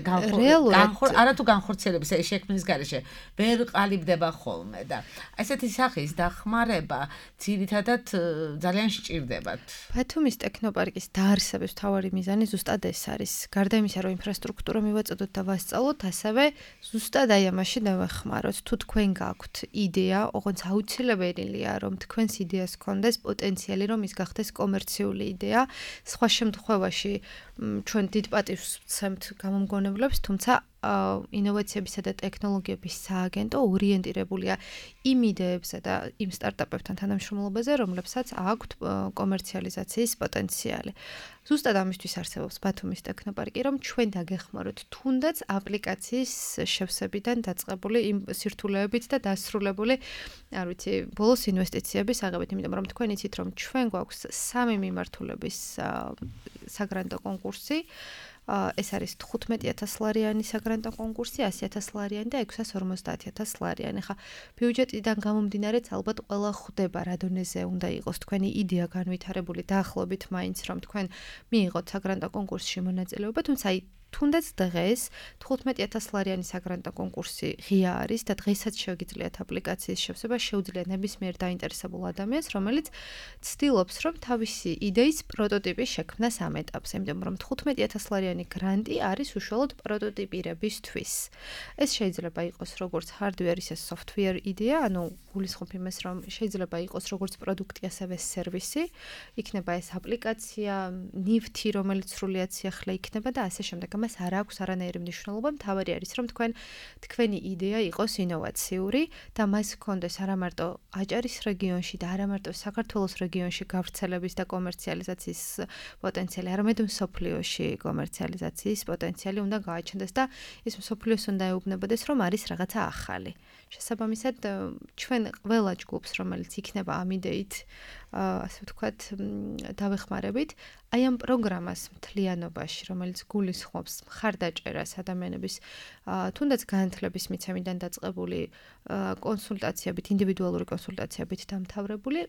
განხორციელების, არათუ განხორციელების აი შექმნის გარეშე ვერ ყალიბდება ხოლმე და ესეთი სახის დახმარება ძირითადად ძალიან სჭირდებათ. ბათუმის ტექნოპარკის დაარსების მთავარი მიზანი ზუსტად ეს არის. გარდა იმისა, რომ ინფრასტრუქტურა მივაწოდოთ და ვასწავლოთ, ასევე ზუსტად აი ამაში დავეხმაროთ. თუ თქვენ გაქვთ იდეა, ოღონდ აუცილებელია, რომ თქვენს იდეას გქონდეს პოტენციალი, რომ ის გახდეს კომერციული იდეა. სხვა შემთხვევაში ჩვენ დიდ პატივს ვცემთ გამომგონებლებს, თუმცა ინოვაციებისა და ტექნოლოგიების სააგენტო ორიენტირებულია იმ იდეებზე და იმ სტარტაპებთან თანამშრომლობაზე, რომლებსაც აქვთ კომერციალიზაციის პოტენციალი. ზუსტად ამისთვის არსებობს ბათუმის ტექნოპარკი, რომ ჩვენ დაგეხმაროთ თუნდაც აპლიკაციის შევსებიდან დაწყებული იმ სირთულეებით და დასრულებული, არ ვიცი, ბოლოს ინვესტიციების აღებით, იმიტომ რომ თქვენ იცით, რომ ჩვენ გვაქვს სამი მიმართულების საგრანტო კონკურსი. ეს არის თხუთმეტი ათას ლარიანი საგრანტო კონკურსი, ასი ათას ლარიანი და ექვსას ორმოცდაათი ათას ლარიანი. ხა ბიუჯეტიდან გამომდინარეც ალბათ ყველა ხვდება რა დონეზე უნდა იყოს თქვენი იდეა განვითარებული, დაახლოებით მაინც რომ თქვენ მიიღოთ საგრანტო კონკურსში მონაწილეობა, თუმცა აი თუნდაც დღეს თხუთმეტი ათას ლარიანი საგრანტო კონკურსი ღია არის და დღესაც შეგიძლიათ აპლიკაციის შევსება, შეუძლიათ ნებისმიერ დაინტერესებულ ადამიანს, რომელიც ცდილობს, რომ თავისი იდეის პროტოტიპი შექმნას ამ ეტაპზე, იმიტომ რომ თხუთმეტი ათას ლარიანი გრანტი არის უშუალოდ პროტოტიპირებისთვის. ეს შეიძლება იყოს როგორც hardware, ისე software იდეა, ანუ გულისხმობ იმას, რომ შეიძლება იყოს როგორც პროდუქტი, ასევე სერვისი, იქნება ეს აპლიკაცია, ნივთი, რომელიც სრულიად სიახლე იქნება და ასე შემდეგ. ამას არ აქვს არანაირი მნიშვნელობა, მთავარი არის, რომ თქვენ თქვენი იდეა იყოს ინოვაციური და მას ჰქონდეს არა მარტო აჭარის რეგიონში და არა მარტო საქართველოს რეგიონში გავრცელების და კომერციალიზაციის პოტენციალი, არამედ მსოფლიოში კომერციალიზაციის პოტენციალი უნდა გააჩნდეს და ის მსოფლიოს უნდა ეუბნებოდეს, რომ არის რაღაცა ახალი. შესაბამისად, ჩვენ ყველა ჯგუფს, რომელიც იქნება ამ იდეით, ასე ვთქვათ, დავეხმარებით, აი ამ პროგრამას მთლიანობაში, რომელიც გულისხმობს მხარდაჭერას ადამიანების თუნდაც განათლების მიცემიდან დაწყებული კონსულტაციებით, ინდივიდუალური კონსულტაციებით დამთავრებული,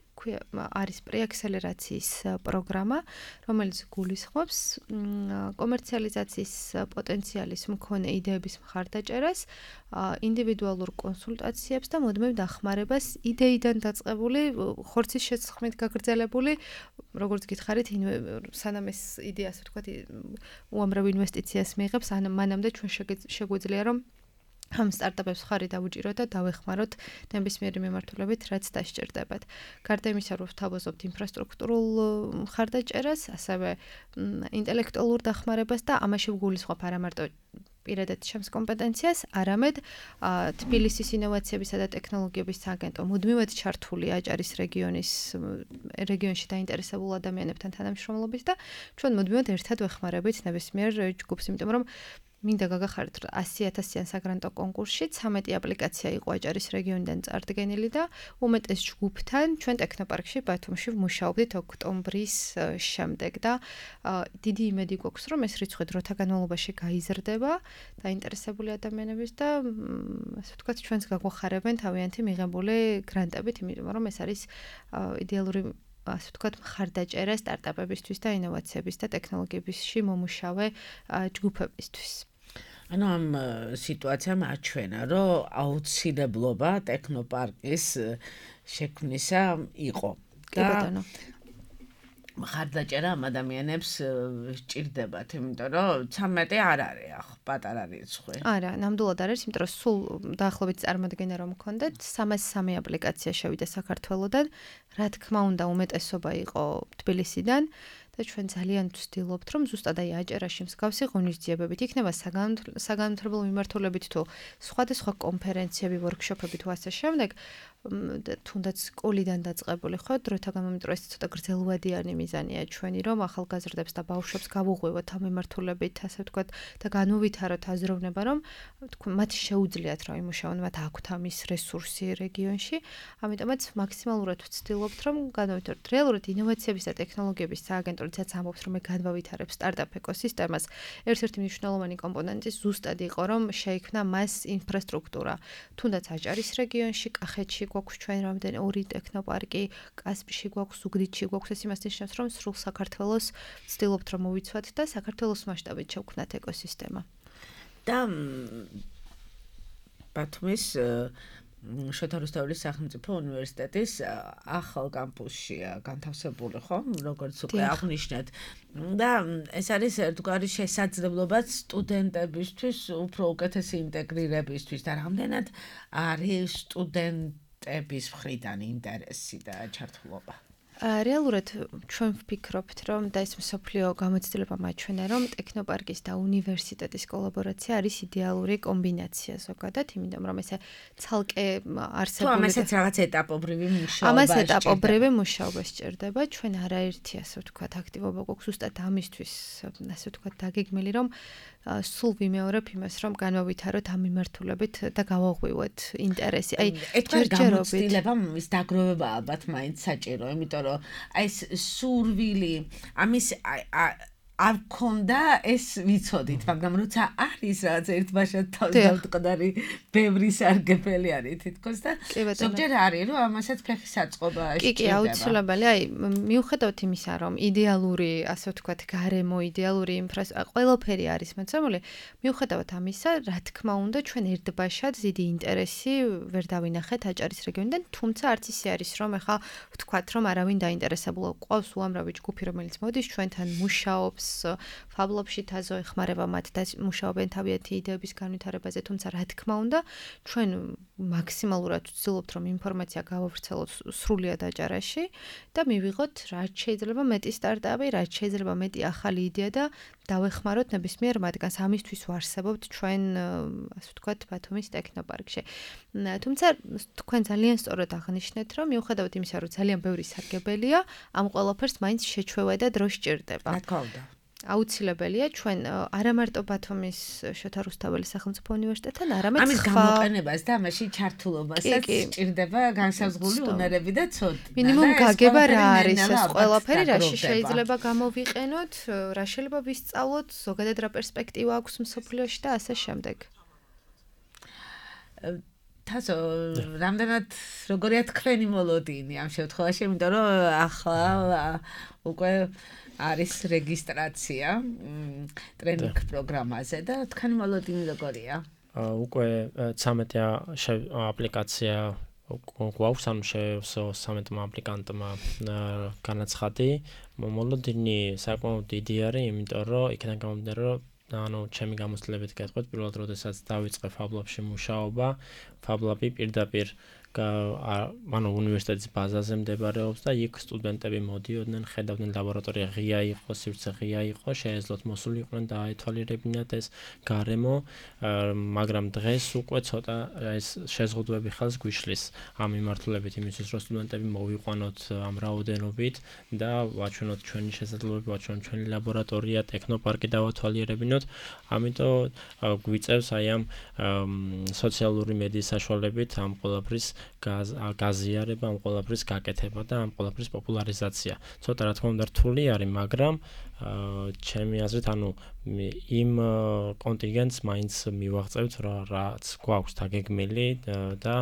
არის პრეაქსელერაციის პროგრამა, რომელიც გულისხმობს კომერციალიზაციის პოტენციალის მქონე იდეების მხარდაჭერას, ინდივიდუალურ კონსულტაციებს და მუდმივ დახმარებას იდეიდან დაწყებული, ხორცის შეცხმით გაგრძელებული, როგორც გითხარით, სანამ ეს იდეა, ასე ვთქვათ, უამრავ ინვესტიციას მიიღებს, მანამდე ჩვენ შეგვიძლია რომ ამ სტარტაპებს ხარი დავუჭიროთ და დავეხმაროთ ნებისმიერი მიმართულებით, რაც დასჭირდებათ. გარდა იმისა, რომ ვთავაზობთ ინფრასტრუქტურულ მხარდაჭერას, ასევე ინტელექტუალურ დახმარებას და ამაში ვგულისხმობ არა მარტო პირადად ჩემს კომპეტენციას, არამედ თბილისის ინოვაციებისა და ტექნოლოგიების სააგენტო მუდმივად ჩართული აჭარის რეგიონის რეგიონში დაინტერესებულ ადამიანებთან თანამშრომლობით და ჩვენ მუდმივად ერთად ვეხმარებით ნებისმიერ ჯგუფს, იმიტომ რომ მინდა გაგახაროთ, რომ ასი ათასიან საგრანტო კონკურსში ცამეტი აპლიკაცია იყო აჭარის რეგიონიდან წარდგენილი და უმეტეს ჯგუფთან ჩვენ ტექნოპარკში ბათუმში ვმუშაობდით ოქტომბრის შემდეგ და დიდი იმედი გვაქვს, რომ ეს რიცხვი დროთა განმავლობაში გაიზრდება დაინტერესებული ადამიანების და ასე ვთქვათ, ჩვენს გაგვახარებენ თავიანთი მიღებული გრანტებით, იმიტომ რომ ეს არის იდეალური ასე ვთქვათ, მხარდაჭერა სტარტაპებისთვის და ინოვაციების და ტექნოლოგიებისში მომუშავე ჯგუფებისთვის. ანუ ამ სიტუაციამ აჩვენა, რომ აუცილებლობა ტექნოპარკის შექმნისა იყო. კი ბატონო. მხარდაჭერა ამ ადამიანებს სჭირდებათ, იმიტომ რომ ცამეტი არ არის ახლა პატარა რიცხვი. არა, ნამდვილად არის, იმიტომ რომ სულ დაახლოებით წარმოადგენა რომ მქონდეთ სამას სამი აპლიკაცია შევიდა საქართველოდან, რა თქმა უნდა, უმეტესობა იყო თბილისიდან და ჩვენ ძალიან ვცდილობთ, რომ ზუსტად აი აჭარაში მსგავსი ღონისძიებებით იქნება საგანმანათლებლო მიმართულებით თუ სხვადასხვა კონფერენციები, ვორქშოპები თუ ასე შემდეგ, თუნდაც სკოლიდან დაწყებული ხო, დროთა განმავლობაში ეს ცოტა გრძელვადიანი მიზანია ჩვენი, რომ ახალგაზრდებს და ბავშვებს გავუღვევოთ ამ მიმართულებით, ასე ვთქვათ, და განუვითაროთ აზროვნება, რომ მათ შეუძლიათ რა იმუშაონ, მათ აქვთ ამის რესურსი რეგიონში, ამიტომაც მაქსიმალურად ვცდილობთ, რომ განუვითაროთ რეალურად ინოვაციების და ტექნოლოგიების სააგენტო როდესაც ამბობს, რომ მე განვავითარებ სტარტაპ ეკოსისტემას, ერთ-ერთი მნიშვნელოვანი კომპონენტი ზუსტად იყო, რომ შეიქმნა მას ინფრასტრუქტურა, თუნდაც აჭარის რეგიონში, კახეთში გვაქვს ჩვენ რამდენი ორი ტექნოპარკი, კასპში გვაქვს, ზუგდიდში გვაქვს, ეს იმას ნიშნავს, რომ სრულ საქართველოს ვცდილობთ, რომ მოვიცვათ და საქართველოს მასშტაბით შევქმნათ ეკოსისტემა. და ბათუმის შოთა რუსთაველის სახელმწიფო უნივერსიტეტის ახალ კამპუსშია განთავსებული, ხო? როგორც უკვე აღნიშნეთ. და ეს არის ერთგვარი შესაძლებლობა სტუდენტებისთვის უფრო უკეთესი ინტეგრირებისთვის და რამდენად არის სტუდენტების მხრიდან ინტერესი და ჩართულობა. რეალურად ჩვენ ვფიქრობთ, რომ და ეს მსოფლიო გამოცდილება მაჩვენა, რომ ტექნოპარკის და უნივერსიტეტის კოლაბორაცია არის იდეალური კომბინაცია ზოგადად, იმიტომ რომ ესე ცალკე არსებული თუ ამასაც რაღაც ეტაპობრივი მუშაობა ამას ეტაპობრივი მუშაობა სჭირდება, ჩვენ არაერთი ასე ვთქვათ აქტივობა გვაქვს ზუსტად ამისთვის, ასე ვთქვათ, დაგეგმილი, რომ სულ ვიმეორებ იმას, რომ განვავითაროთ ამ მიმართულებით და გავაღვივოთ ინტერესი. აი, ჯერჯერობით ის დაგროვება ალბათ მაინც საჭირო, იმიტომ რომ აი ეს სურვილი, ამის არ მქონდა ეს ვიცოდით, მაგრამ როცა არის რაღაც ერთბაშად თავდამტყდარი ბევრი სარგებელი არის თითქოს და ზოგჯერ არის რომ ამასაც ფეხი საწყობა კი კი აუცილებელი აი მიუხედავად იმისა რომ იდეალური ასე ვთქვათ გარემო იდეალური ინფრასტრუქტურა ყველაფერი არის მოცემული მიუხედავად ამისა რა თქმა უნდა ჩვენ ერთბაშად დიდი ინტერესი ვერ დავინახეთ აჭარის რეგიონიდან თუმცა არც ისე არის რომ ეხლა ვთქვათ რომ არავინ დაინტერესებულა ყავს უამრავი ჯგუფი რომელიც მოდის ჩვენთან მუშაობს ფაბლობში თაზო ეხმარება მათ და მუშაობენ თავიანთი იდეების განვითარებაზე თუმცა რა თქმა უნდა ჩვენ მაქსიმალურად ვცდილობთ რომ ინფორმაცია გავავრცელოთ სრულად აჭარაში და მივიღოთ რაც შეიძლება მეტი სტარტაპი რაც შეიძლება მეტი ახალი იდეა და დავეხმაროთ ნებისმიერ მათგანს ამისთვის ვარსებობთ ჩვენ ასე ვთქვათ ბათუმის ტექნოპარკში თუმცა თქვენ ძალიან სწორად აღნიშნეთ რომ მიუხედავად იმისა რომ ძალიან ბევრი სარგებელია ამ ყველაფერს მაინც შეჩვევა და დრო სჭირდება რა თქმა უნდა აუცილებელია ჩვენ არა მარტო ბათუმის შოთა რუსთაველის სახელმწიფო უნივერსიტეტთან, არამედ ამის გამოყენებას და ამაში ჩართულობასაც სჭირდება განსაზღვრული უნარები და ცოდნა. მინიმუმ გაგება რა არის ეს ყველაფერი, რაში შეიძლება გამოვიყენოთ, რა შეიძლება ვისწავლოთ, ზოგადად რა პერსპექტივა აქვს მსოფლიოში და ასე შემდეგ. თასო, რამდენად როგორია თქვენი მოლოდინი ამ შემთხვევაში, იმიტომ რომ ახლა უკვე არის რეგისტრაცია ტრენინგ პროგრამაზე და თქვენი მოლოდინი როგორია? უკვე ცამეტი აპლიკაცია გვაქვს, ანუ შევსო ცამეტ აპლიკანტმა განაცხადი. მოლოდინი საკმაოდ დიდი არის, იმიტომ რომ იქიდან გამომდინარე, რომ ანუ ჩემი გამოცდილებით გეტყვით, პირველად როდესაც დავიწყე ფაბლაბში მუშაობა, ფაბლაბი პირდაპირ ანუ უნივერსიტეტის ბაზაზე მდებარეობს და იქ სტუდენტები მოდიოდნენ, ხედავდნენ ლაბორატორია ღია იყო, სივრცე ღია იყო, შეეძლოთ მოსულიყვნენ და აეთვალიერებინათ ეს გარემო, მაგრამ დღეს უკვე ცოტა ეს შეზღუდვები ხელს გვიშლის ამ მიმართულებით იმისთვის, რომ სტუდენტები მოვიყვანოთ ამ რაოდენობით და ვაჩვენოთ ჩვენი შესაძლებლობები, ვაჩვენოთ ჩვენი ლაბორატორია, ტექნოპარკი დავათვალიერებინოთ, ამიტომ გვიწევს აი ამ სოციალური მედიის საშუალებით ამ ყველაფრის გაზიარება, ამ ყველაფრის გაკეთება და ამ ყველაფრის პოპულარიზაცია. ცოტა რა თქმა უნდა რთული არის, მაგრამ ჩემი აზრით, ანუ იმ კონტინგენტს მაინც მივაღწევთ, რაც გვაქვს დაგეგმილი და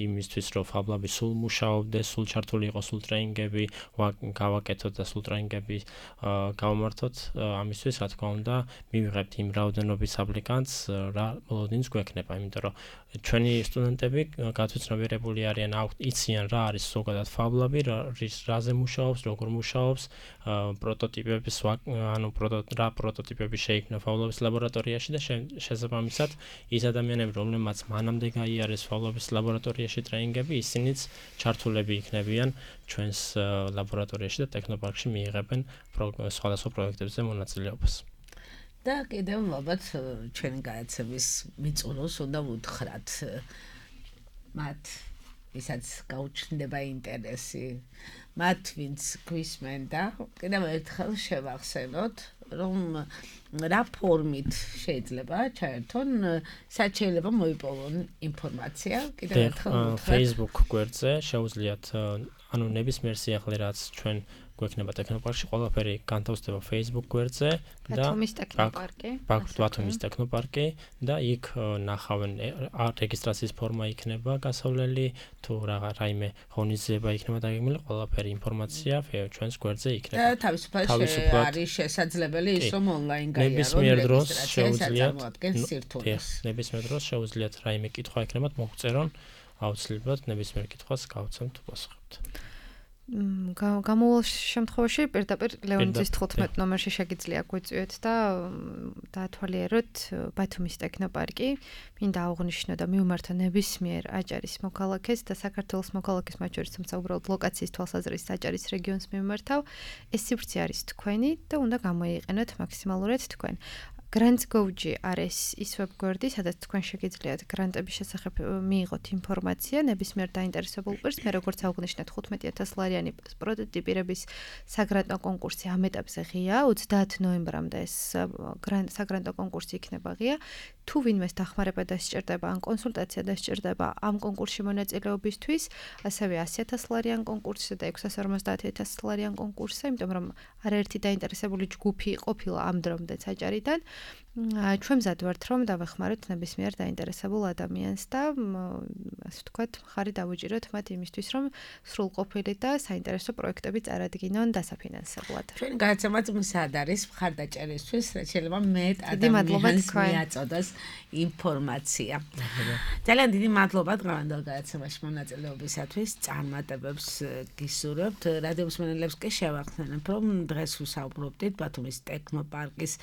იმისთვის, რომ ფაბლაბი სულ მუშაობდეს, სულ ჩართული იყოს, სულ ტრეინინგები გავაკეთოთ და სულ ტრეინინგები გავმართოთ, ამისთვის, რა თქმა უნდა, მივიღებთ იმ რაოდენობის აპლიკანტს, რა მოლოდინს გვექნება, იმიტომ რომ ჩვენი სტუდენტები გათვითცნობიერებული არიან, იციან რა არის ზოგადად ფაბლაბი, რაზე მუშაობს, როგორ მუშაობს, პროტოტიპების ანუ რა პროტოტიპები შეიქმნა ფაბლაბის ლაბორატორიაში და შესაბამისად ის ადამიანები, რომლებმაც მანამდე გაიარეს ფაბლაბის ლაბორატორიაში ტრეინინგები, ისინიც ჩართულები იქნებიან ჩვენს ლაბორატორიაში და ტექნოპარკში მიიღებენ სხვადასხვა პროექტებზე მონაწილეობას. და კიდევ ალბათ ჩვენი განათლების მიწურულს უნდა ვუთხრათ მათ ვისაც გაუჩნდება ინტერესი მათ ვინც გვისმენ და კიდევ ერთხელ შევახსენოთ რომ რა ფორმით შეიძლება ჩაერთონ სად შეიძლება მოიპოვონ ინფორმაცია კიდევ ერთხელ ვუთხრათ Facebook გვერდზე შეუძლიათ ანუ ნებისმიერ სიახლე რაც ჩვენ გვექნება ტექნოპარკში, ყველაფერი განთავსდება Facebook გვერდზე და ბათუმის ტექნოპარკი. ბათუმის ტექნოპარკი და იქ ნახავენ რეგისტრაციის ფორმა იქნება გასავლელი, თუ რაიმე ღონისძიება იქნება დაგეგმილი, ყველაფერი ინფორმაცია ჩვენს გვერდზე იქნება. და თავისუფლად არის შესაძლებელი ის რომ ონლაინ გაიარონ რეგისტრაცია სირთულეს. ნებისმიერ დროს შეუძლიათ რაიმე კითხვა იქნებათ მოგვწერონ, აუცილებლად ნებისმიერ კითხვას გავცემთ უპასუხებთ. გამოვალ შემთხვევაში პირდაპირ ლეონიძის თხუთმეტ ნომერში შეგიძლია გვიწვიოთ და დაათვალიეროთ ბათუმის ტექნოპარკი. მინდა აღვნიშნო და მივმართო ნებისმიერ აჭარის მოქალაქეს და საქართველოს მოქალაქეს მათ შორის, თუმცა უბრალოდ ლოკაციის თვალსაზრისით აჭარის რეგიონს მივმართავ. ეს სივრცე არის თქვენი და უნდა გამოიყენოთ მაქსიმალურად თქვენ. Grants Go-ი არის ის ვებგვერდი, სადაც თქვენ შეგიძლიათ გრანტების შესახებ მიიღოთ ინფორმაცია ნებისმიერ დაინტერესებულ პირს. მე როგორც აღნიშნეთ, ხუთმეტი ათასი ლარიანი პროტოტიპირების საგრანტო კონკურსი ამ ეტაპზე ღია, ოცდაათი ნოემბრამდე ეს საგრანტო კონკურსი იქნება ღია. თუ ვინმეს დახმარება დასჭირდება ან კონსულტაცია დასჭირდება ამ კონკურსში მონაწილეობისთვის, ასევე ასი ათასი ლარიან კონკურსზე და ექვსას ორმოცდაათი ათასი ლარიან კონკურსზე, იმიტომ რომ არაერთი დაინტერესებული ჯგუფი ყოფილა ამ დრომდე საჭარიდან. ჩვენ მზად ვართ რომ დავეხმაროთ ნებისმიერ დაინტერესებულ ადამიანს და ასე ვთქვათ, ხარი დავუჭიროთ მათ იმისთვის, რომ სრულყოფილი და საინტერესო პროექტები წარადგინონ დასაფინანსებლად. ჩვენ გადაცემაც მისად არის მხარდაჭერისთვის, რაც შეიძლება მეტ ადამიანს მიაწოდოს ინფორმაცია. ძალიან დიდი მადლობა დღევანდელ გადაცემაში მონაწილეობისათვის. წარმატებებს გისურვებთ. რადიო მსმენელებს კი შევახსენებ, რომ დღეს ვისაუბრობდით ბათუმის ტექნოპარკის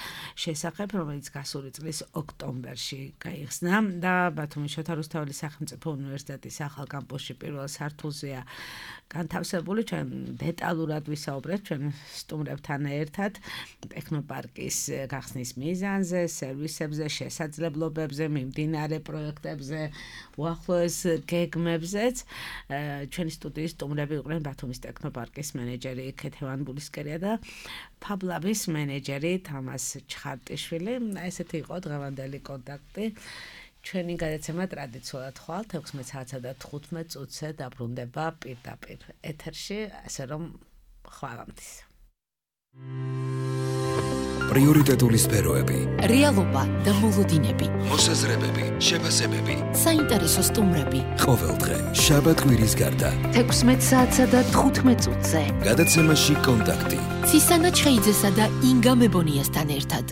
შესახებ, რომელიც გასული წლის ოქტომბერში გაიხსნა და ბათუმის შოთა რუსთაველის სახელმწიფო უნივერსიტეტის ახალ კამპუსში პირველ სართულზეა განთავსებული. ჩვენ დეტალურად ვისაუბრეთ ჩვენ სტუმრებთან ერთად ტექნოპარკის გახსნის მიზანზე, სერვისებზე, შესაძლებლობებზე, მიმდინარე პროექტებზე, უახლოეს გეგმებზეც. ჩვენი სტუდიის სტუმრები იყვნენ ბათუმის ტექნოპარკის მენეჯერი ქეთევან ბულისკერია და ფაბლაბის მენეჯერი თამას ჩხარტიშვილი. ესეთი იყო დღევანდელი კონტაქტი. ჩვენი გადაცემა ტრადიციულად ხვალ ექვსმეტ საათსა და თხუთმეტ წუთზე დაბრუნდება პირდაპირ ეთერში, ასე რომ ხვალამდის. პრიორიტეტული სფეროები, რეალობა და მოლოდინები, მოსაზრებები, შეფასებები, საინტერესო სტუმრები. ყოველდღე შაბათ-კვირის გარდა ექვსმეტ საათსა და თხუთმეტ წუთზე. გადაცემაში კონტაქტი. ცისანა ჩხეიძესა და ინგა მებონიასთან ერთად.